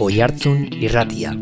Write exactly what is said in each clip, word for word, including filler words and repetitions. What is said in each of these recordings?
Oihartzun Irratia.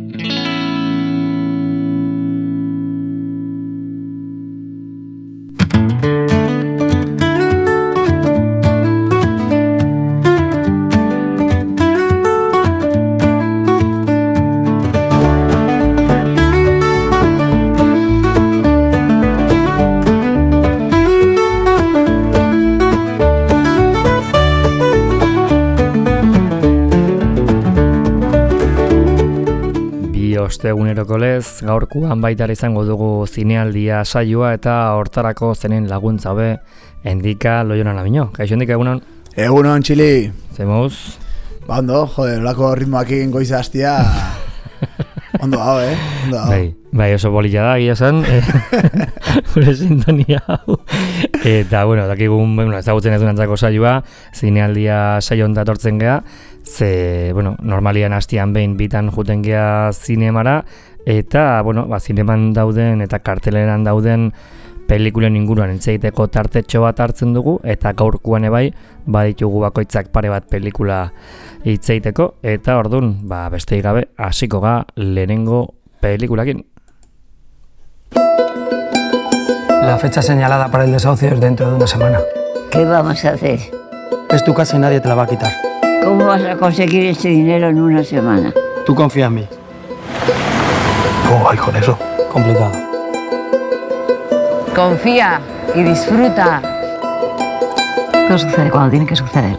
Eguneroko lez, gaurkoan baita izango dugu zinealdia saioa eta hortarako zenen laguntza hobe Endika Loiona Lamino. Kaixo Endika, egunon? Egunon, Txili. Zemuz? Ba, ondo, joder, olako ritmoakin goiza hastia. Ondo hau, eh? Ondo hau. Bai, bai, oso bolilla da, gira zen. Gure sintonia hau. Eta, bueno, dakigun, bueno, ezagutzen ez dunantzako saioa, zinealdia saio honta tortzen gea. Ze, bueno, normalian hastian behin bitan juten gea zinemara, eta, bueno, ba, zineman dauden eta karteleran dauden pelikulen inguruan entzeiteko tartetxo bat hartzen dugu, eta gaurkoan ebai, baditugu bakoitzak pare bat pelikula hitzeiteko, eta ordun, ba, besteik gabe, hasiko ga lehenengo pelikulakin. La fecha señalada para el desahucio es dentro de una semana. ¿Qué vamos a hacer? Es tu casa y nadie te la va a quitar. ¿Cómo vas a conseguir ese dinero en una semana? Tú confía en mí. ¿Cómo vais con eso? Complicado. Confía y disfruta. Todo sucede cuando tiene que suceder.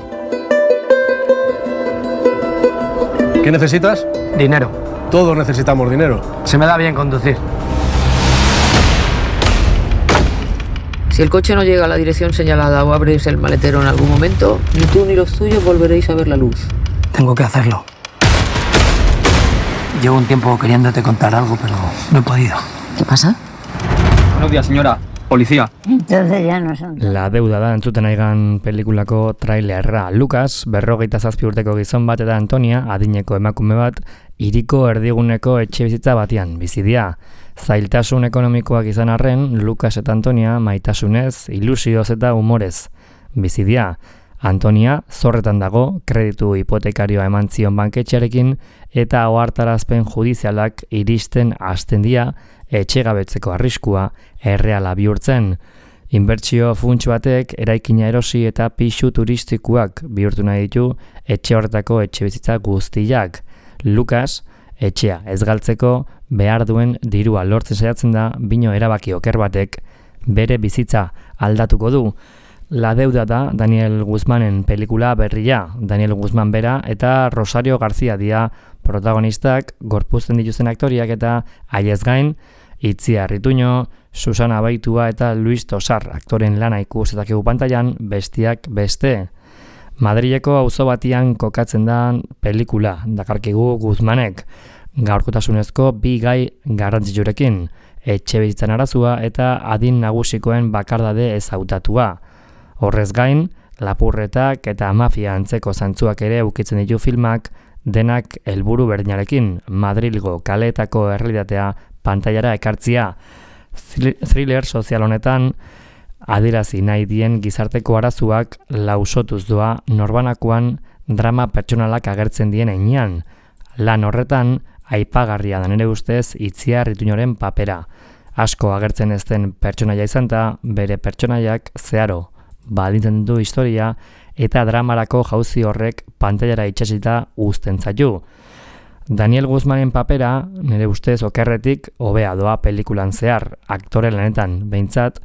¿Qué necesitas? Dinero. Todos necesitamos dinero. Se me da bien conducir. Si el coche no llega a la dirección señalada o abrís el maletero en algún momento, ni tú ni los tuyos volveréis a ver la luz. Tengo que hacerlo. Llevo un tiempo queriéndote contar algo, pero no he podido. ¿Qué pasa? Buenos días, señora. Policía. Entonces ya no son... La deuda da entzuten aigan pelikulako trailerra. Lucas, berrogeita zazpi urteko gizon bat eta Antonia, adineko emakume bat, hiriko erdiguneko etxe bizitza batean bizidia. Zailtasun ekonomikoak izan arren, Lucas eta Antonia maitasunez, ilusioz eta humorez bizidia. Antonia zorretan dago, kreditu hipotekarioa eman zion banketxearekin eta ohartarazpen judizialak iristen hasten dira etxegabetzeko arriskua erreala bihurtzen. Inbertsio funts batek eraikina erosi eta pisu turistikoak bihurtu nahi ditu etxe horretako etxebizitza guztiak. Lucas, etxea ez galtzeko behar duen dirua lortzen saiatzen da, bino erabaki oker batek bere bizitza aldatuko du. La deuda da Daniel Guzmanen pelikula berria. Daniel Guzman bera eta Rosario García dira protagonistak, gorpuzten dituzten aktoriak eta haiez gain, Itziar Rituño, Susana Baitua eta Luis Tosar aktoren lana ikus eta kegu pantailan bestiak beste. Madrileko auzo batian kokatzen da pelikula, dakarkigu Guzmanek, gaurkotasunezko bi gai garrantzitsurekin, etxe bizitzan arazua eta adin nagusikoen bakardade ezautatua. Horrez gain, lapurretak eta mafia antzeko zantzuak ere ukitzen ditu filmak, denak helburu berdinarekin, Madrilgo kaleetako errealitatea pantailara ekartzia. Thriller sozial honetan, adierazi nahi dien gizarteko arazuak lausotuz doa norbanakoan drama pertsonalak agertzen dien heinean. Lan horretan, aipagarria da nere ustez Itziar Rituñoren papera. Asko agertzen ez den pertsonaia izan da, bere pertsonaiak zeharo baldintzen du historia eta dramarako jauzi horrek pantailara itxasita uzten zaitu. Daniel Guzmanen papera, nire ustez okerretik, hobea doa pelikulan zehar, aktore lanetan behintzat,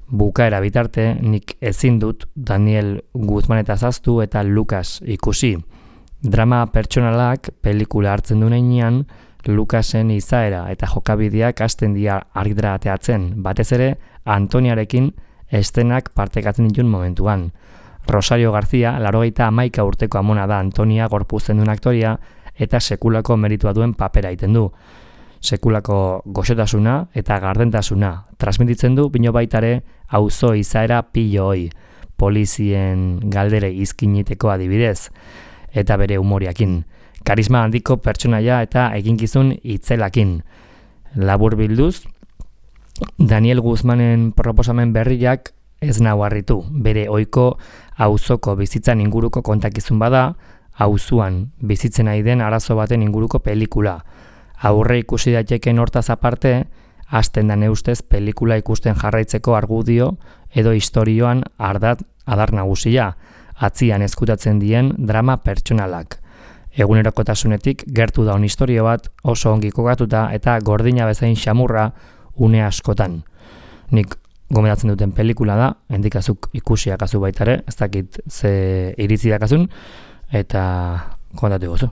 bukaera bitarte nik ezin dut Daniel Guzmanetaz ahaztu eta Lucas ikusi. Drama pertsonalak pelikula hartzen du heinean, Lucasen izaera eta jokabideak hasten dira argitara ateatzen, batez ere Antoniarekin estenak partekatzen ditun momentuan. Rosario García, laurogeita hamaika urteko amona da Antonia gorpuzten duen aktoria eta sekulako meritua duen papera egiten du. Sekulako goxotasuna eta gardentasuna transmititzen du, bino baitare auzo izaera piloi, polizien galdere izkiniteko adibidez, eta bere humoriakin. Karisma handiko pertsonaia eta eginkizun itzelakin. Labur bilduz, Daniel Guzmanen proposamen berriak ez nau harritu. Bere ohiko auzoko bizitzan inguruko kontakizun bada, auzuan bizitzen ari den arazo baten inguruko pelikula. Aurre ikusi daiteken hortaz aparte, hasten da neustez pelikula ikusten jarraitzeko argudio edo istorioan ardat adar nagusia, atzian ezkutatzen dien drama pertsonalak. Egunerokotasunetik gertu daun istorio bat oso ongi kokatuta eta gordina bezain xamurra une askotan. Nik gomendatzen duten pelikula da, hendikazuk ikusiakazu baitare, ez dakit ze iritzi dakazun, eta kontatu gozu.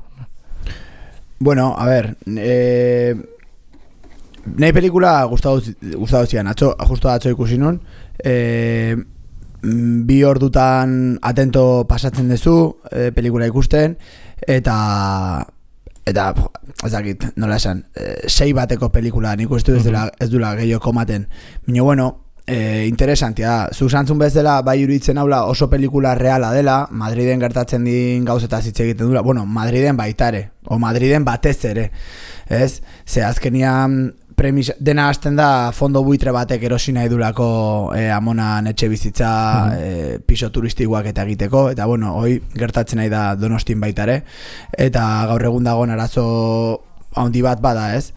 Bueno, a ver, eh, nahi pelikula gustatu zian, atzo, justo atzo ikusi nun, eh, bi ordutan atento pasatzen duzu eh, pelikula ikusten, eta eta ez dakit, nola esan, eh, sei bateko pelikula nik uste ez dela, ez dula gehiago komaten. Baina, bueno, eh, interesantia da. Zuk santzun bezala bai iruditzen haula oso pelikula reala dela, Madriden gertatzen din gauzetaz hitz egiten dula, bueno, Madriden baitare, o Madriden batez ere, ez? Ze azkenian premisa, dena hasten da fondo buitre batek erosi nahi dulako eh, amonan etxe bizitza eh, piso turistikoak eta egiteko, eta bueno, hoi gertatzen nahi da Donostin baitare, eta gaur egun dagoen arazo handi bat bada, ez?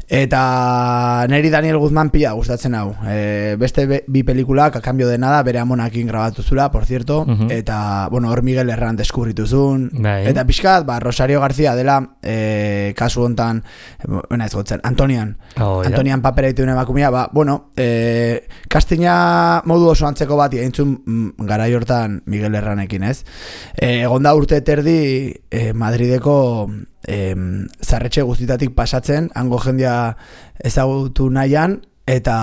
Eta neri Daniel Guzmán pila gustatzen hau. E, beste be, bi pelikulak, a cambio de nada, bere amonakin grabatu zula, por cierto, uh-huh. Eta, bueno, hor Miguel Herran deskubrituzun. Bai. Eta pixkat, ba, Rosario García dela, e, kasu hontan, bena ez gotzen, Antonian. Oh, Antonian ja. Papera dituen emakumea, ba, bueno, e, kastina modu oso antzeko bat, entzun mm, garai hortan Miguel Herranekin, ez? E, egonda urte terdi, e, Madrideko Eh, zarretxe guztitatik pasatzen, hango jendia ezagutu nahian, eta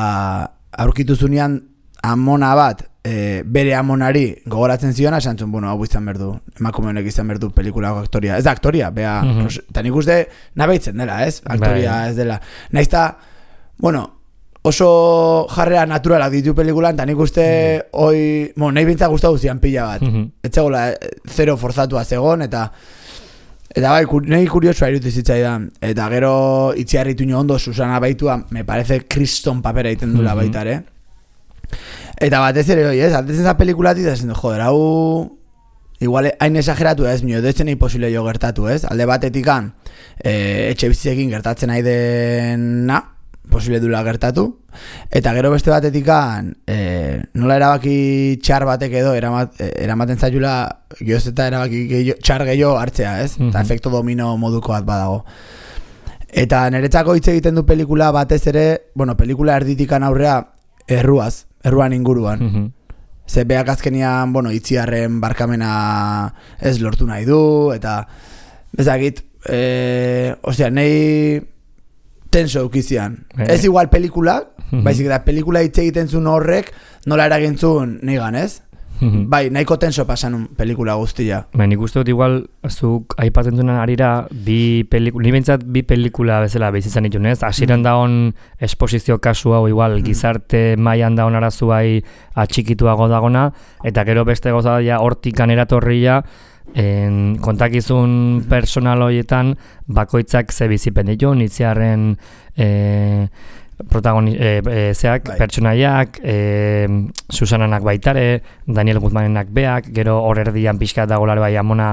aurkitu zunean amona bat, eh, bere amonari gogoratzen ziona, esan zuen, bueno, hau izan berdu, emakume honek izan berdu pelikulako aktoria. Ez da aktoria, bea, mm-hmm. eta nik uste nabeitzen dela, ez? Aktoria Bye. Ez dela. Naizta, bueno, oso jarrera naturalak ditu pelikulan, eta nik uste, mm-hmm. oi, bueno, nahi bintza guztatu zian pila bat. Mm-hmm. Etzegoela, zero forzatua zegon, eta Eta bai, nahi kuriosua irutu zitzaidan. Eta gero itziarritu nio ondo Susana Baitua, me parece kriston papera egiten dula mm-hmm. baitare. Eta batez ere hoi, ez? Altezen za pelikulatik, eta zen, joder, hau igual hain esageratu ez, mio, edo etzen imposible jo gertatu, ez? Alde batetikan, e, etxe bizitzekin gertatzen nahi dena, posible dula gertatu, eta gero beste batetikan e, nola erabaki txar batek edo eramat, eramaten zailula gehoz eta erabaki gehiago, txar gehiago hartzea, ez? Mm-hmm. Eta efekto domino moduko bat badago. Eta niretzako hitz egiten du pelikula batez ere, bueno, pelikula erditikan aurrea erruaz, erruan inguruan. Mm-hmm. Ze beak azkenian, bueno, itziarren barkamena ez lortu nahi du, eta bezakit, e, ostia, nahi tenso eukizian. Eh. Ez igual pelikulak, mm-hmm. baizik eta pelikula hitz egiten zuen horrek nola eragintzun nigan, ez? Mm-hmm. Bai, nahiko tenso pasan pelikula guztia. Bai, nik uste dut igual, zuk aipatzen duen arira, bi pelikula, ni bentsat bi pelikula bezala behizitzen ditun, ez? Asiran mm-hmm. daon esposizio kasu hau igual, mm-hmm. gizarte mailan daon arazu bai atxikituago dagona, eta gero beste goza daia hortikan eratorria, En, kontakizun personal horietan bakoitzak ze bizipen ditu, nitziarren e, protagoni, e, e, zeak, bai. Pertsonaiak, e, Susananak baitare, Daniel Guzmanenak beak, gero hor erdian pixka dagolare bai amona,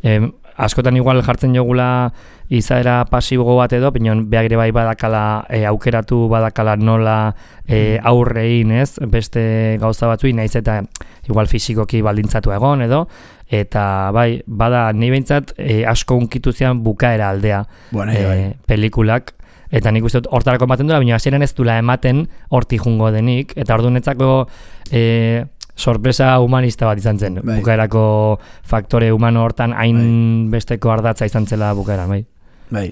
e, askotan igual jartzen jogula izaera pasibo bat edo, pinon beak ere bai badakala, e, aukeratu badakala nola e, aurrein, ez, beste gauza batzui, naiz eta igual fisikoki baldintzatu egon edo, eta bai, bada ni behintzat e, asko unkitu zian bukaera aldea bueno, e, bai. Pelikulak, eta nik uste dut hortarako ematen dula, baina hasieran ez dula ematen horti jungo denik, eta ordunetzako e, sorpresa humanista bat izan zen, bai. Bukaerako faktore humano hortan hain bai. Besteko ardatza izan zela bukaera, bai. Bai,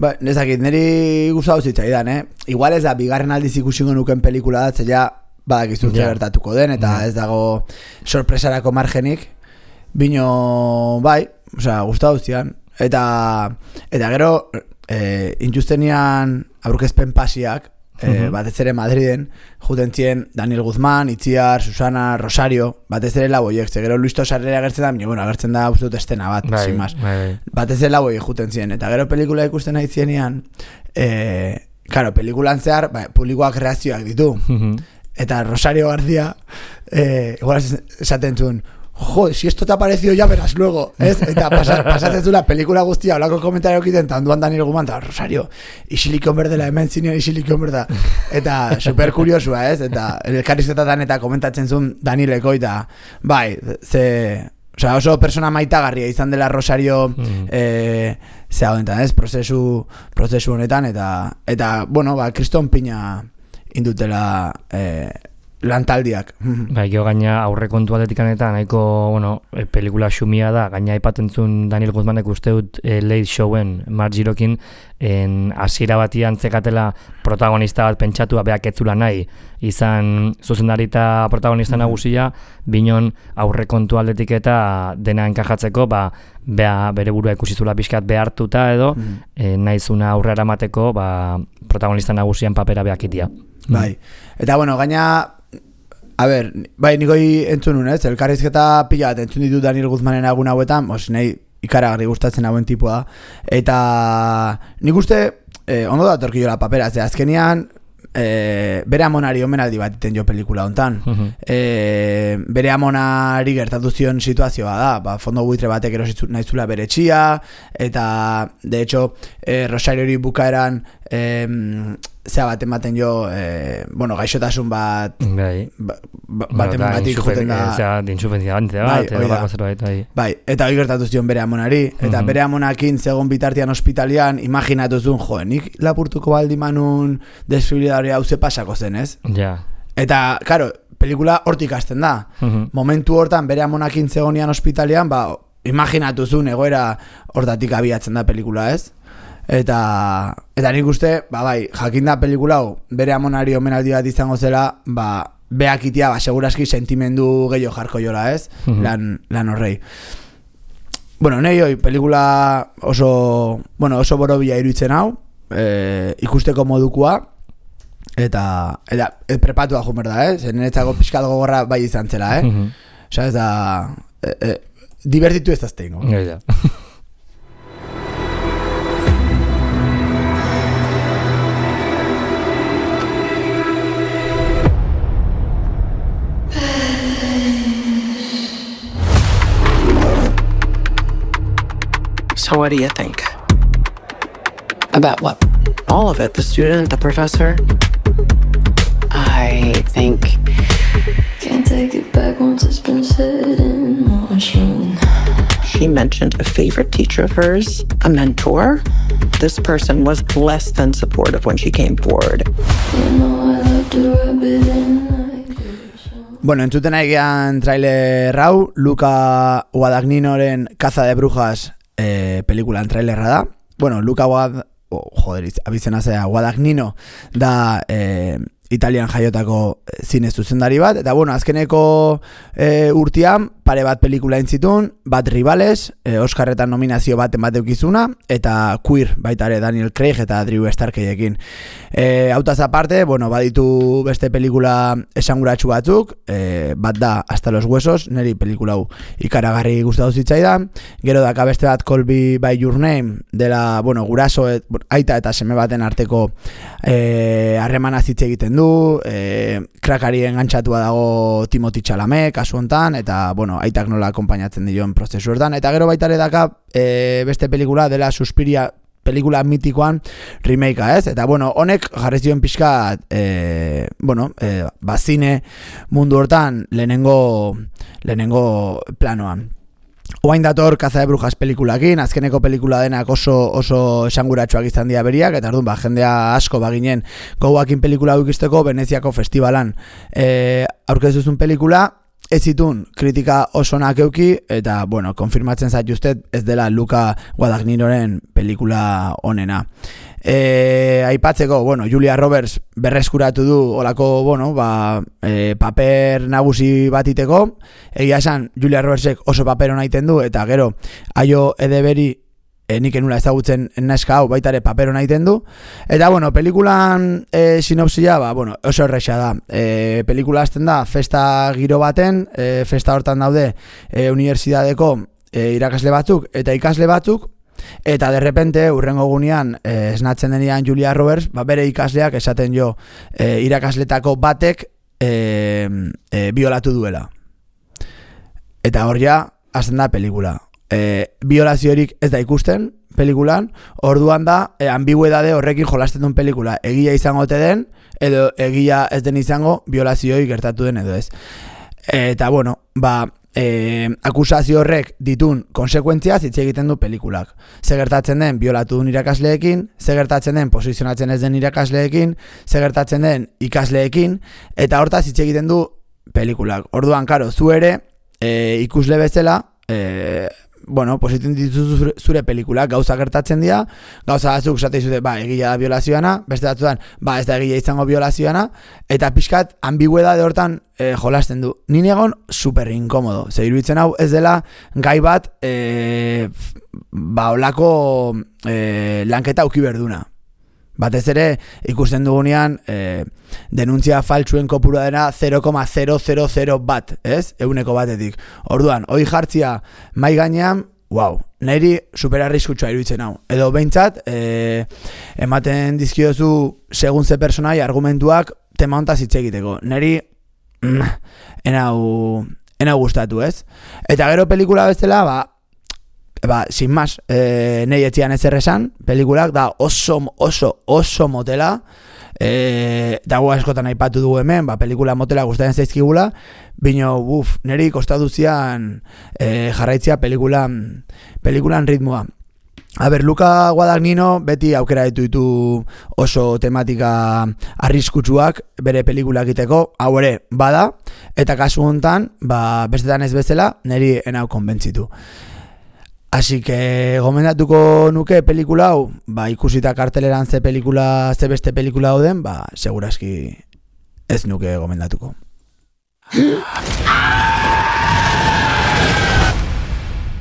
ba, nezakit, niri gustatu zitzaidan, eh? Igual ez da, bigarren aldiz ikusingo nuken pelikula da, ja badakizu yeah. gertatuko den, eta yeah. ez dago sorpresarako margenik, bino, bai, osea, gustatu zian, eta, eta gero, e, intuztenian aurkezpen pasiak, e, uh-huh. batez ere Madriden, juten zien Daniel Guzmán, Itziar, Susana, Rosario, batez ere laboiek, ze gero Luis Tosarrera agertzen da, bueno, agertzen da uste dut estena bat, bai, sin más. Bai, bai. Batez ere laboiek juten zien, eta gero pelikula ikusten nahi zienean, e, claro, pelikulan zehar, bai, publikoak reakzioak ditu, uh-huh. eta Rosario García, e, igual esaten zuen, jo, si esto te ha parecido ya verás luego, ez? Eta pasatzen zula pelikula guztia, olako komentario egiten, eta onduan Daniel Guzman, eta Rosario, isilikon berdela, hemen zinean isilikon berda. Eta super kuriosua, ez? Eta elkarrizketatan eta komentatzen zuen Danieleko, eta bai, ze... Osea, oso persona maitagarria izan dela Rosario mm. eh, zea honetan, ez? Prozesu, prozesu honetan, eta, eta bueno, ba, kriston pina indutela... Eh, lantaldiak. Bai, geho gaina aurrekontu atetikan eta nahiko, bueno, e, pelikula xumia da, gaina aipatzen zuen Daniel Guzmanek uste dut e, Late Showen Mark Girokin en hasiera batian zekatela protagonista bat pentsatua beak etzula nahi izan zuzendari eta protagonista nagusia, binon aurrekontu aldetik eta dena enkajatzeko, ba, bea bere burua ikusizula pixkat behartuta edo, mm. e, nahizuna aurrera mateko, ba, protagonista nagusian papera beak itia. Bai, eta bueno, gaina a ber, bai, nikoi entzun nun, ez? Elkarrizketa pila bat entzun ditut Daniel Guzmanen agun hauetan, os, nahi ikaragarri gustatzen hauen tipua da. Eta nik uste, eh, ondo da torkillola papera, ze azkenian eh, bere amonari omenaldi bat iten jo pelikula hontan. Uh-huh. eh, bere amonari gertatu zion situazioa da, ba, fondo buitre batek erositzu nahizula bere txia, eta de hecho, eh, Rosariori bukaeran eh, zea bat ematen jo, eh, bueno, gaixotasun bat bai. ba, ba, bat ematik juten da zea, dinxufenzia bantzea bat, bai, edo bako zerbait, bai. Bai, eta hori gertatu zion bere amonari, eta mm-hmm. bere amonakin zegoen bitartian ospitalian, imaginatu zuen, jo, nik lapurtuko baldi manun desfibriladore hau ze pasako zen, ez? Ja. Eta, karo, pelikula hortik hasten da. Mm-hmm. Momentu hortan bere amonakin zegonian ospitalian, ba, imaginatu zuen egoera hortatik abiatzen da pelikula, ez? Eta, eta nik uste, ba bai, jakinda pelikula hau bere amonari omenaldi bat izango zela, ba, beak itia, ba, seguraski sentimendu gehiago jarko jola, ez? Mm-hmm. Lan, lan horrei. Bueno, nahi hoi, pelikula oso, bueno, oso borobila iruditzen hau, e, ikusteko modukua, eta, eta e, prepatua jumer da, eh? Zer niretzako pixkat gogorra bai izan zela, eh? Mm-hmm. Osa, ez da, e, e, divertitu ez dazteingo. Ja, ja. So what do you think? About what? All of it. The student, the professor. I think... Can't take it back once it's been set in motion. She mentioned a favorite teacher of hers, a mentor. This person was less than supportive when she came forward. You know I love to rub it in like this. Bueno, entzuten egian trailer hau, Luca Guadagninoren Caza de Brujas eh, pelikulan trailerra da. Bueno, Luca Guad... Oh, joder, abizena zera, Guadagnino da... Eh, Italian jaiotako zine zuzendari bat, eta bueno, azkeneko e, urtean pare bat pelikula entzitun, bat Rivales, e, Oscarretan nominazio bat emateukizuna, eta Queer, baita ere Daniel Craig eta Drew Starkeyekin. E, Hautaz aparte, bueno, baditu beste pelikula esanguratsu batzuk, e, bat da Hasta los huesos, neri pelikula hau ikaragarri gustatu zitzaidan, gero daka beste bat Call Me By Your Name, dela, bueno, guraso, et, aita eta seme baten arteko harremana e, zitze egiten du, E, krakari engantxatua dago Timothy Chalamet kasu hontan, eta bueno, aitak nola akompainatzen dion prozesu hortan, eta gero baita ere daka e, beste pelikula dela Suspiria pelikula mitikoan remakea, ez? Eta bueno, honek jarri zion pixka e, bueno, e, bazine mundu hortan lehenengo lehenengo planoan. Oain dator Caza de Brujas pelikulakin, azkeneko pelikula denak oso oso esanguratsuak izan dira beriak, eta orduan ba, jendea asko baginen gogoakin pelikula ikusteko Veneziako festivalan e, aurkezuzun pelikula, ez zitun kritika oso onak euki, eta bueno, konfirmatzen zaituztet ez dela Luca Guadagninoren pelikula onena. E, aipatzeko, bueno, Julia Roberts berreskuratu du olako, bueno, ba, e, paper nagusi batiteko, egia esan Julia Robertsek oso paper hona iten du, eta gero Aio Edeberi e, nik enula ezagutzen neska hau baita ere paper hona iten du, eta bueno, pelikulan e, sinopsia, ba, bueno, oso erresa da, e, pelikula hasten da festa giro baten, e, festa hortan daude e, unibertsitateko e, irakasle batzuk eta ikasle batzuk, eta derrepente urrengo gunean eh, esnatzen denean Julia Roberts, ba, bere ikasleak esaten jo eh, irakasletako batek eh, eh, biolatu duela. eta hor ja, hasten da pelikula. E, violaziorik ez da ikusten pelikulan, orduan da, e, ambiguedade horrekin jolasten duen pelikula. Egia izango ote den, edo egia ez den izango, violazioi gertatu den edo ez. Eta, bueno, ba, e, akusazio horrek ditun konsekuentziaz hitz egiten du pelikulak. Ze gertatzen den violatu duen irakasleekin, ze gertatzen den posizionatzen ez den irakasleekin, ze gertatzen den ikasleekin, eta hortaz hitz egiten du pelikulak. Orduan, karo, zu ere, e, ikusle bezala, e, bueno, positzen dituzu zure, zure pelikulak, gauza gertatzen dira, gauza batzuk esate dizute, ba, egia da violazioana, beste batzuetan, ba, ez da egia izango violazioana, eta pixkat ambiguedade hortan e, jolasten du. Ni egon super inkomodo, ze iruditzen hau ez dela gai bat, e, ba, olako e, lanketa auki berduna. Batez ere, ikusten dugunean, e, denuntzia faltsuen kopurua dena zero koma zero zero zero bat, ez? Eguneko batetik. Orduan, hoi jartzia mai gainean, wow, niri superarriskutsua iruditzen hau. Edo behintzat, e, ematen dizkiozu segun ze personai argumentuak tema hontaz hitz egiteko. Niri, mm, enau, enau gustatu, ez? Eta gero pelikula bezala, ba, Ba, sin más, e, nahi etzian ez erresan, pelikulak da oso, oso, oso motela, e, dago askotan aipatu dugu hemen, ba, pelikula motela gustatzen zaizkigula, bino, buf, niri kostatu zian e, jarraitzia pelikulan, pelikulan ritmoa. A ber, Luca Guadagnino beti aukera ditu ditu oso tematika arriskutsuak bere pelikula egiteko, hau ere bada, eta kasu hontan, ba, bestetan ez bezala, niri enau konbentzitu. Así que gomendatuko nuke pelikula hau, ba, ikusita karteleran ze pelikula, ze beste pelikula dauden, ba, seguraski ez nuke gomendatuko.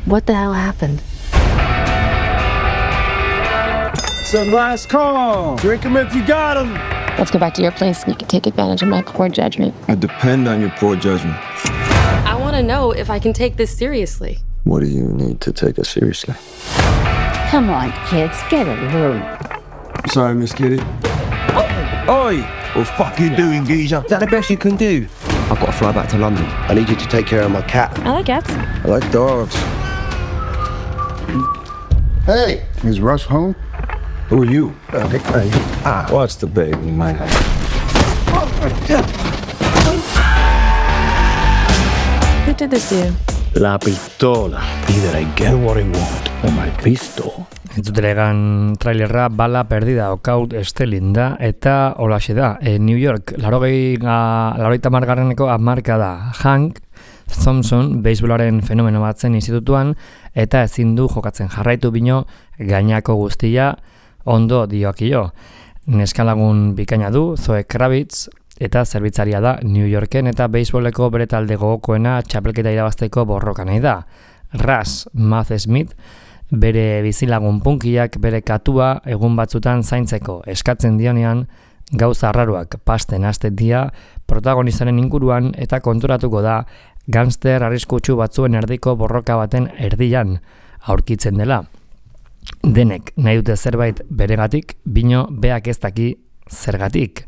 What the hell happened? Some last call. Drink him if you got him. Let's go back to your place and you can take advantage of my poor judgment. I depend on your poor judgment. I want to know if I can take this seriously. What do you need to take us seriously? Come on, kids, get a room. Sorry, Miss Kitty. Oi! What the fuck are you doing, geezer? Is that the best you can do? I've got to fly back to London. I need you to take care of my cat. I like cats. I like dogs. Hey, is Russ home? Who are you? Uh, hey. Ah, what's the baby, man? Who did this to you? La pistola. Either I get what I want or my pistol. Entzutelegan trailerra Bala perdida okaut estelin da eta holaxe da. E, New York, laurogeita margarreneko amarka da. Hank Thompson, beisbolaren fenomeno batzen institutuan eta ezin du jokatzen jarraitu bino gainako guztia ondo diokio. Neskalagun bikaina du, Zoe Kravitz, eta zerbitzaria da New Yorken eta beisboleko bere talde gogokoena txapelketa irabazteko borroka nahi da. Russ Math Smith, bere bizilagun punkiak bere katua egun batzutan zaintzeko eskatzen dionean, gauza arraruak pasten hasten dira protagonistaren inguruan eta konturatuko da gangster arriskutsu batzuen erdiko borroka baten erdian aurkitzen dela. Denek nahi dute zerbait beregatik, bino beak ez daki zergatik.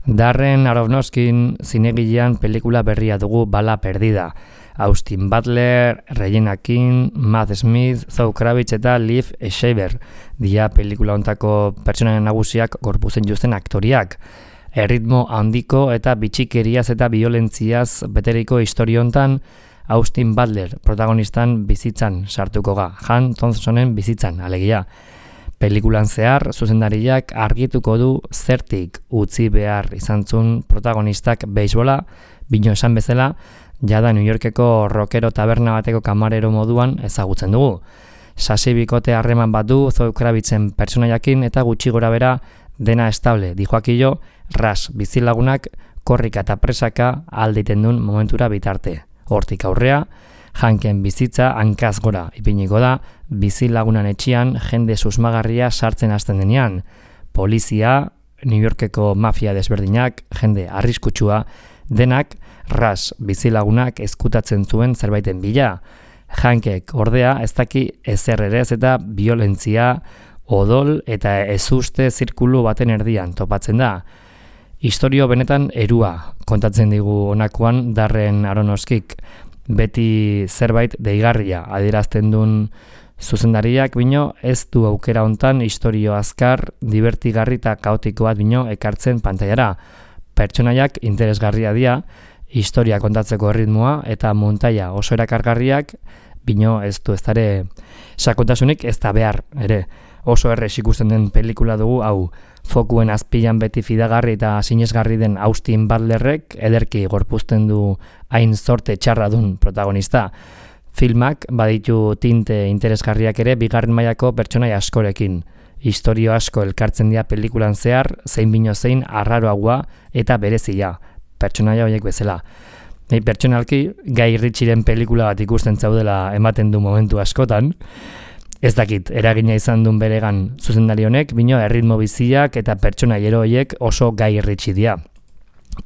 Darren Aronofskin zinegilean pelikula berria dugu Bala perdida. Austin Butler, Regina King, Matt Smith, Zoe Kravitz eta Liv Schreiber dia pelikula hontako pertsonaien nagusiak gorputzen juzten aktoriak. Erritmo handiko eta bitxikeriaz eta violentziaz beteriko historia hontan Austin Butler protagonistan bizitzan sartuko ga, Han Thompsonen bizitzan, alegia. Pelikulan zehar, zuzendariak argituko du zertik utzi behar izantzun protagonistak beisbola, bino esan bezala, jada New Yorkeko rockero taberna bateko kamarero moduan ezagutzen dugu. Sasi bikote harreman bat du Zoe Kravitzen pertsonaiakin eta gutxi gora bera dena estable, dijoakillo, Russ bizilagunak korrika eta presaka alditen duen momentura bitarte. Hortik aurrea, Hanken bizitza hankaz gora ipiniko da, bizilagunan etxian jende susmagarria sartzen hasten denean. Polizia, New Yorkeko mafia desberdinak, jende arriskutsua, denak Russ bizilagunak ezkutatzen zuen zerbaiten bila. Hankek ordea ez daki ezer ere ez eta violentzia, odol eta ezuste zirkulu baten erdian topatzen da. Historio benetan erua kontatzen digu honakoan Darren Aronofskik. beti zerbait deigarria adierazten duen zuzendariak bino ez du aukera hontan istorio azkar, divertigarri eta kaotiko bat bino ekartzen pantailara. Pertsonaiak interesgarria dira, historia kontatzeko erritmoa eta montaia oso erakargarriak, bino ez du ez dare sakontasunik ez da behar, ere. Oso errez ikusten den pelikula dugu, hau, fokuen azpilan beti fidagarri eta sinesgarri den Austin Butlerrek ederki gorpuzten du hain zorte txarra dun protagonista. Filmak baditu tinte interesgarriak ere bigarren mailako pertsonaia askorekin. Historio asko elkartzen dira pelikulan zehar, zein bino zein arraroagoa eta berezia, pertsonaia horiek bezala. Nei pertsonalki, Guy Ritchieren pelikula bat ikusten zaudela ematen du momentu askotan, ez dakit, eragina izan duen beregan zuzendari honek, bino erritmo biziak eta pertsonaiero horiek oso Guy Ritchie dira.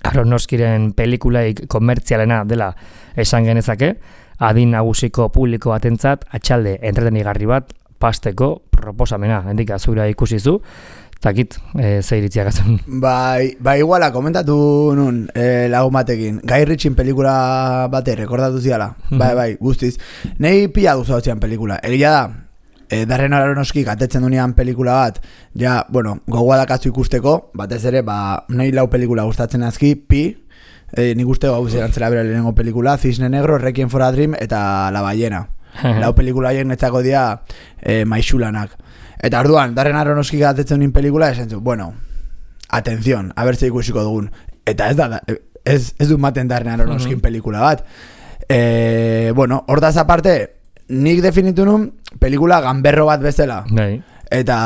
Aronofskiren pelikulaik komertzialena dela esan genezake, adin nagusiko publiko batentzat atxalde entretenigarri bat pasteko proposamena, hendik azura ikusizu, takit, e, zeiritziak azun. Bai, bai iguala, komentatu nun e, lagun batekin, Guy Ritchien pelikula bate, rekordatu ziala, mm-hmm. bai, bai, guztiz. Nei pila duzu hau zian pelikula, egia da, e, Darren Aronofskik atetzen dunean pelikula bat, ja, bueno, gogoa dakatzu ikusteko, batez ere, ba, nei lau pelikula gustatzen azki, pi, e, nik uste hau zerantzela bera lehenengo pelikula, Cisne Negro, Requiem for a Dream, eta La Ballena. Lau pelikula hien netzako dia e, maixulanak. Eta orduan, Darren Aronofskik atetzen duen pelikula, esan zu, bueno, atención, a bertze ikusiko dugun. Eta ez da, ez, ez du maten Darren Aronofskin pelikula bat. E, bueno, hordaz aparte, nik definitu nun pelikula gamberro bat bezala. Eta,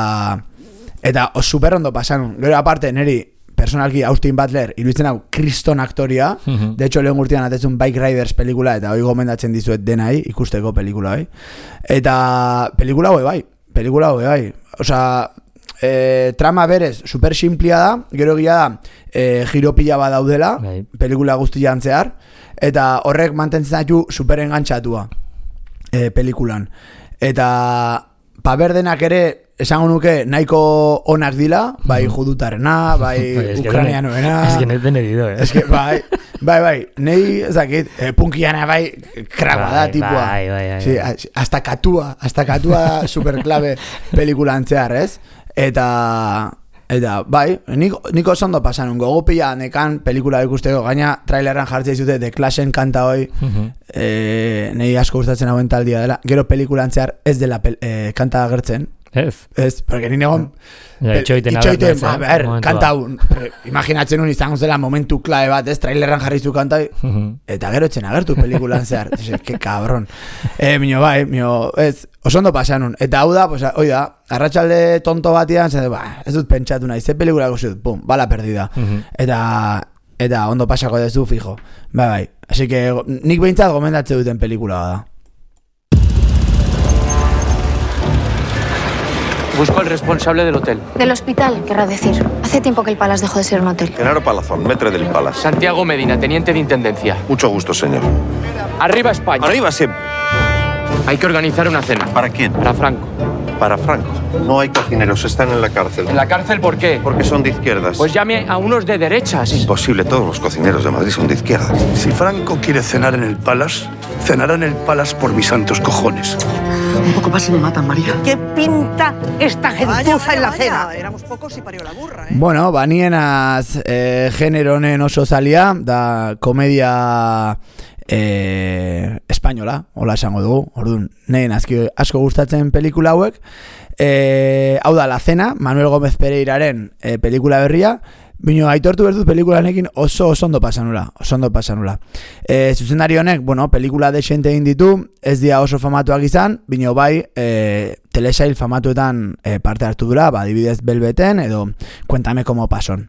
eta super ondo pasan. Gero aparte, neri personalki Austin Butler iruditzen hau kriston aktoria. Uh-huh. De hecho, lehen urtean atetzun Bike Riders pelikula, eta hoi gomendatzen dizuet denai, ikusteko pelikula, bai. Eta pelikula hoi bai, pelikula hoi bai. Osa, e, trama berez, super simplia da, gero egia da, e, giropila bat daudela, bai. Pelikula guztian zehar, eta horrek mantentzen zaitu super engantxatua e, pelikulan. Eta paberdenak ere, esango nuke nahiko onak dila, bai judutarena, bai ukrainianoena. Ez que neten edido, eh? Ez que, bai, bai, bai, nahi, ezakit, eh, punkiana bai, kraba da, tipua. Bai, bai, bai. Sí, hasta katua, hasta katua superklabe pelikulan zehar, ez? Eta, eta, bai, niko, niko oso ondo pasan, gogo pila nekan pelikula ikusteko, gaina traileran jartzea izute The Clashen kanta hoi, uh-huh. eh, nahi asko gustatzen hauen taldia dela, gero pelikulan zehar ez dela pel, eh, kanta agertzen. Ez. Ez, porque ni negon ja, itxoiten, itxoiten, a ber, kanta un, imaginatzen un izango zela momentu klabe bat, ez, traileran jarrizu kanta, uh-huh. eta gero etxen agertu pelikulan zehar, que cabrón. Eh, mino bai, mino, ez, oso ondo pasan un, eta hau da, pues, oida, arratsalde tonto batian, zede, ba, ez dut pentsatu nahi, ze pelikula guztiut, pum, bala perdida. Uh-huh. Eta, eta ondo pasako dezu, fijo. Bai, bai, así que nik behintzat gomendatze duten pelikula da. Busco al responsable del hotel. Del hospital, querrá decir. Hace tiempo que el Palace dejó de ser un hotel. Genaro Palazón, metre del Palace. Santiago Medina, teniente de intendencia. Mucho gusto, señor. Arriba España. Arriba siempre. Hay que organizar una cena. ¿Para quién? Para Franco. Para Franco. No hay cocineros, están en la cárcel. ¿En la cárcel por qué? Porque son de izquierdas. Pues llame a unos de derechas. Imposible, todos los cocineros de Madrid son de izquierdas. Si Franco quiere cenar en el Palace, cenará en el Palace por mis santos cojones. Un poco más y me matan, María. ¿Qué pinta esta gentuza en la vaya, cena? Éramos pocos y parió la burra, eh? Bueno, banienaz eh, genero honen oso zalia, da komedia eh, espainola, hola esango dugu, orduan, nehen asko, asko gustatzen pelikula hauek. Eh, hau da, La Cena, Manuel Gómez Pereiraren eh, pelikula berria, bino, aitortu bertut pelikulanekin oso oso ondo pasanula, oso ondo pasanula. E, zuzendari honek, bueno, pelikula desente egin ditu, ez dira oso famatuak izan, bino bai, e, telesail famatuetan e, parte hartu dura, ba, adibidez Belbeten, edo Cuéntame cómo pason.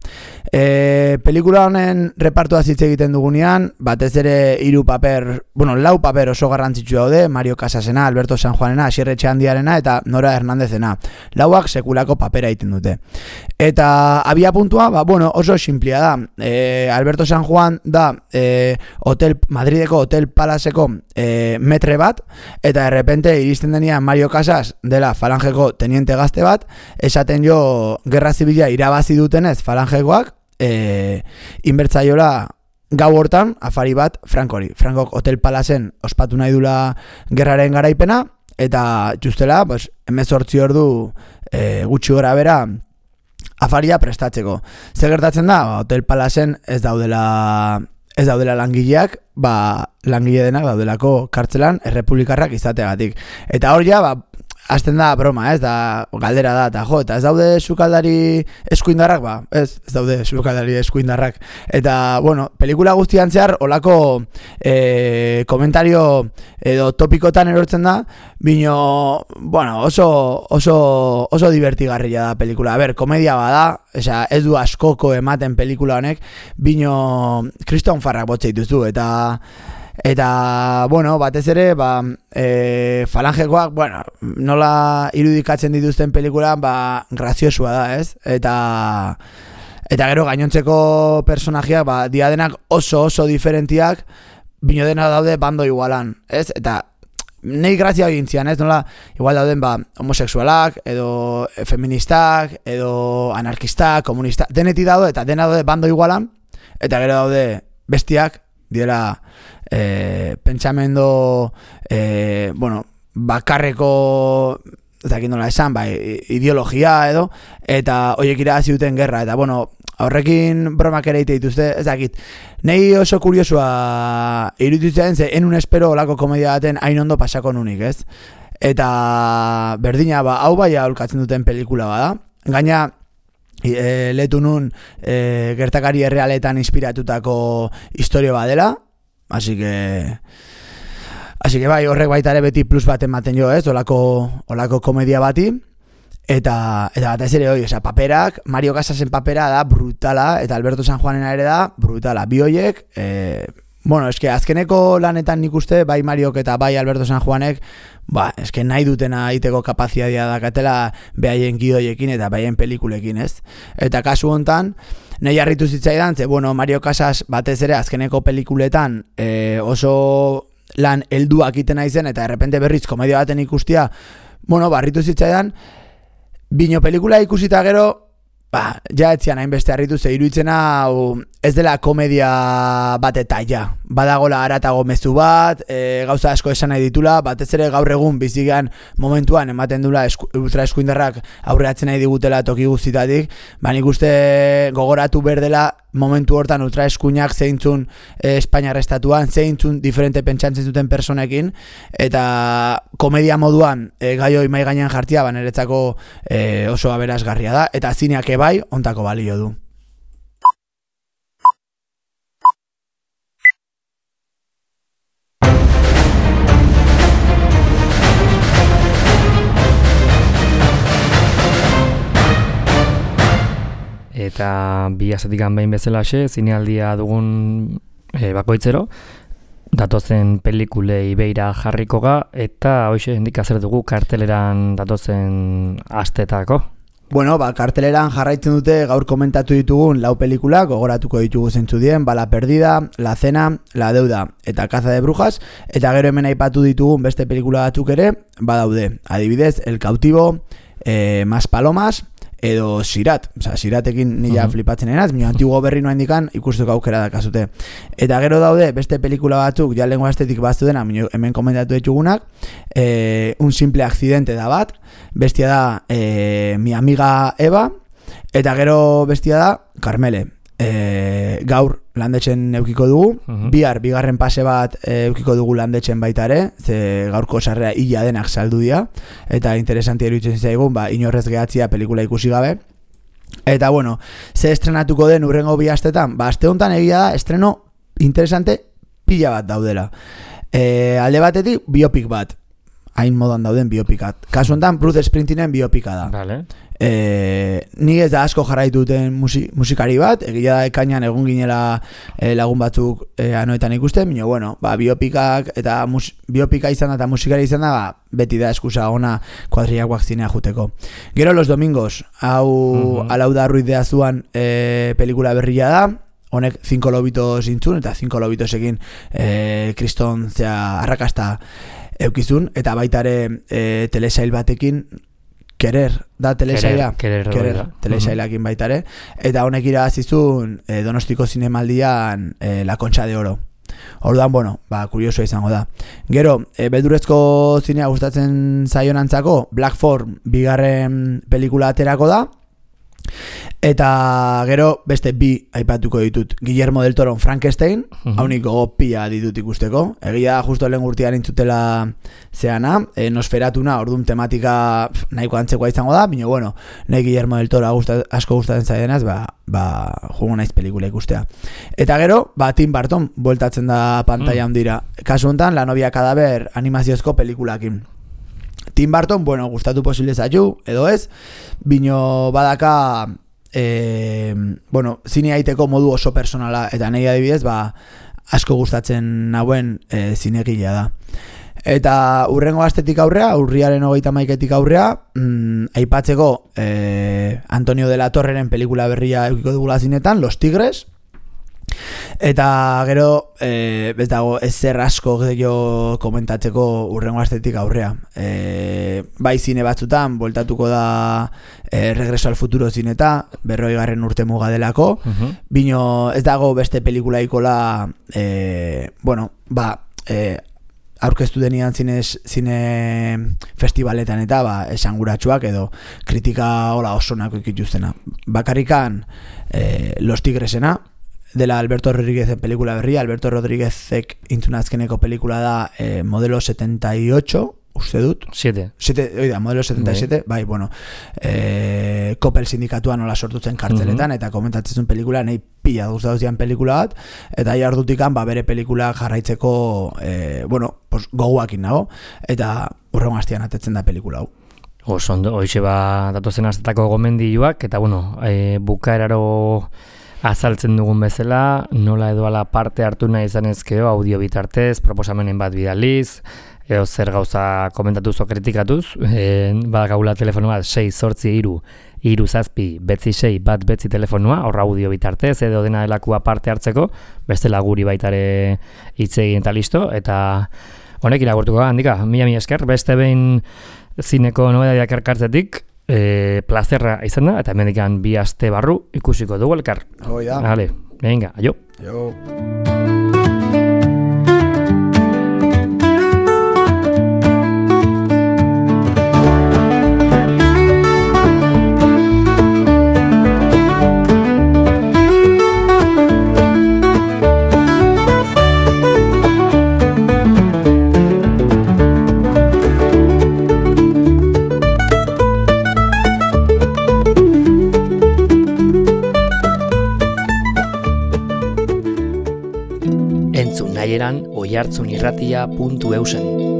E, pelikula honen repartua hitz egiten dugunean, batez ere hiru paper, bueno, lau paper oso garrantzitsu daude, Mario Casasena, Alberto San Juanena, Asier Etxeandiarena eta Nora Hernandezena. Lauak sekulako papera egiten dute. Eta abia puntua, ba, bueno, oso simplia da. E, Alberto San Juan da e, hotel, Madrideko Hotel Palaceko e, metre bat, eta de repente iristen denean Mario Casas dela falangeko teniente gazte bat, esaten jo gerra zibila irabazi dutenez falangekoak, e, inbertzaiola gau hortan, afari bat, Frankori. Frankok Hotel Palacen ospatu nahi dula gerraren garaipena, eta justela, pues, hemezortzi ordu e, gutxi gora bera afaria prestatzeko. Zer gertatzen da, Hotel Palacen ez daudela, ez daudela langileak, ba, langile denak daudelako kartzelan errepublikarrak izateagatik. Eta hor ja, ba, hasten da broma, ez da, galdera da, eta jo, eta ez daude sukaldari eskuindarrak, ba, ez, ez daude sukaldari eskuindarrak. Eta, bueno, pelikula guztian zehar, olako e, komentario edo topikotan erortzen da, bino, bueno, oso, oso, oso divertigarria da pelikula. A ber, komedia bada, esa, ez du askoko ematen pelikula honek, bino, kriston farrak botze dituzu, eta... Eta, bueno, batez ere, ba, e, falangekoak, bueno, nola irudikatzen dituzten pelikulan, ba, graziosua da, ez? Eta, eta gero gainontzeko personajeak, ba, diadenak oso oso diferentiak, bino dena daude bando igualan, ez? Eta, nahi grazia egin zian, ez? Nola, igual dauden, ba, homosexualak, edo feministak, edo anarkistak, komunistak, deneti daude, eta dena daude bando igualan, eta gero daude bestiak, diela eh, pentsamendo eh, bueno, bakarreko ezakit nola esan, ba, ideologia edo, eta horiek irabazi duten gerra, eta bueno, horrekin bromak ere ite dituzte, ezakit, nahi oso kuriosua iruditzen ze enun espero olako komedia baten hain ondo pasako nunik, ez? Eta berdina, ba, hau bai aholkatzen duten pelikula bada, gaina E, letu nun e, gertakari errealetan inspiratutako historio badela, así que así que bai, horrek baita ere beti plus bat ematen jo, ez, olako, olako komedia bati, eta eta batez ere hori, oza, paperak, Mario Casasen papera da brutala, eta Alberto San Juanena ere da brutala, bi hoiek, e, bueno, eske azkeneko lanetan nik uste, bai Mariok eta bai Alberto San Juanek, ba, eske nahi dutena egiteko kapazitatea dakatela behaien gidoiekin eta behaien pelikulekin, ez? Eta kasu hontan, nahi harritu zitzaidan, ze, bueno, Mario Casas batez ere azkeneko pelikuletan e, oso lan helduak iten naizen, eta errepente berriz komedia baten ikustia, bueno, barritu zitzaidan, bino pelikula ikusita gero, ba, ja etzian hainbeste harritu ze iruditzen hau ez dela komedia bat eta ja. Badagola haratago mezu bat, e, gauza asko esan nahi ditula, batez ere gaur egun bizigean momentuan ematen dula esku, ultra eskuindarrak aurreatzen nahi digutela toki guztitatik, ba nik uste gogoratu berdela momentu hortan ultra eskuinak zeintzun e, Espainiar estatuan, zeintzun diferente pentsantzen duten personekin, eta komedia moduan e, gai hori mai gainean jartzea, ba niretzako e, oso aberasgarria da, eta zineak ebai ontako balio du. Eta bi azatikan behin bezalaxe, zinealdia dugun e, bakoitzero, datozen pelikulei beira jarriko ga, eta hoxe hendik azer dugu karteleran datozen astetako. Bueno, ba, karteleran jarraitzen dute gaur komentatu ditugun lau pelikulak, gogoratuko ditugu zeintzu dien, ba, La Perdida, La Cena, La Deuda eta Caza de Brujas, eta gero hemen aipatu ditugun beste pelikula batzuk ere, badaude, adibidez, El Cautivo, eh, Más Palomas, edo Sirat, oza, Siratekin nila uh-huh. flipatzen enaz, minio antiguo berri noa indikan ikusteko aukera dakazute. Eta gero daude, beste pelikula batzuk, ja lengua estetik baztu dena, minio, hemen komentatu ditugunak, e, Un simple accidente da bat, bestia da e, Mi amiga Eva, eta gero bestia da Carmele. E, gaur landetxen eukiko dugu, uh-huh. bihar bigarren pase bat e, eukiko dugu landetxen baita ere, ze gaurko sarrera hila denak saldu dira, eta interesantia iruditzen zaigun, ba, inorrez gehatzia pelikula ikusi gabe. Eta bueno, ze estrenatuko den urrengo bi astetan, ba, aste honetan egia da, estreno interesante pila bat daudela. E, alde batetik, biopik bat, hain modan dauden biopikat. Kasu honetan, Bruce Springsteenen biopika da. Vale. E, ni ez da asko jarraitu duten musi, musikari bat, egia da ekainan egun ginela e, lagun batzuk e, anoetan ikusten, bino, bueno, ba, biopikak eta mus, biopika izan da eta musikari izan da, ba, beti da eskusa ona kuadriakoak zinea juteko. Gero Los Domingos, hau uh-huh. Alauda Ruiz de Azuan e, pelikula berria da, honek Cinco Lobitos intzun, eta Cinco Lobitosekin e, kriston zea arrakasta eukizun, eta baita ere e, telesail batekin Kerer da telesaila, Kerer, Kerer telesailakin baita ere, eta honek irabazizun eh, Donostiko zinemaldian eh, La Concha de Oro. Orduan, bueno, ba, kuriosoa izango da. Gero, e, beldurrezko zinea gustatzen zaionantzako, Black Phone bigarren pelikula aterako da, eta gero beste bi aipatuko ditut. Guillermo del Toro Frankenstein, uh-huh. haunik gogo pila ditut ikusteko. Egia justo lehen urtean intzutela zeana, e, Nosferatuna, orduan tematika pf, nahiko antzekoa izango da, baina bueno, nahi Guillermo del Toro gusta, asko gustatzen zaidenaz, ba, ba, jugo naiz pelikula ikustea. Eta gero, ba, Tim Burton bueltatzen da pantalla handira. Mm. Kasu honetan, La novia cadáver animaziozko pelikulakin. Tim Burton, bueno, gustatu posible zaitu, edo ez, bino badaka, e, bueno, zine aiteko modu oso personala, eta nahi adibidez, ba, asko gustatzen nauen e, zinegilea da. Eta urrengo astetik aurrea, urriaren hogeita maiketik aurrea, mm, aipatzeko e, Antonio de la Torreren pelikula berria eukiko dugula zinetan, Los Tigres. Eta gero, e, ez dago, ez zer asko gehiago komentatzeko urrengo astetik aurrea. E, bai zine batzutan, voltatuko da e, Regreso al Futuro zineta, berroi garren urte muga delako, uh-huh. bino ez dago beste pelikula ikola, e, bueno, ba, e, aurkeztu denian zine, zine festivaletan eta ba, esanguratsuak edo kritika hola osonako ikituztena. Bakarrikan e, Los Tigresena, dela Alberto Rodríguezen pelikula berria. Alberto Rodríguezek intzuna azkeneko pelikula da eh, Modelo setenta y ocho, uste dut? siete. siete, oida, Modelo setenta y siete, bai, bueno, eh, Coppel sindikatua nola sortutzen kartzeletan, uh-huh. eta komentatzen pelikula, nahi pila guztatu zian pelikula bat, eta jardutikan, ba, bere pelikula jarraitzeko, eh, bueno, pues, goguakin nago, eta urrengo hastian atetzen da pelikula hau. Oso ondo, hoixe ba, datozen astetako gomendioak, eta bueno, e, bukaeraro azaltzen dugun bezala, nola edo ala parte hartu nahi izan ezkeo audio bitartez, proposamenen bat bidaliz, edo zer gauza komentatu zo kritikatuz, e, badagaula telefono bat sei zortzi hiru hiru zazpi betzi sei bat betzi telefonua, horra audio bitartez, edo dena delakua parte hartzeko, bestela guri baitare hitz egin eta listo, eta honek iragurtuko da, handika, mila mila esker, beste behin zineko nobedadiak erkartzetik, E, plazerra izan da, eta hemendikan bi aste barru ikusiko dugu elkar. Hoi da. Vale, venga, aio. Aio. Oihartzunirratia puntu eusen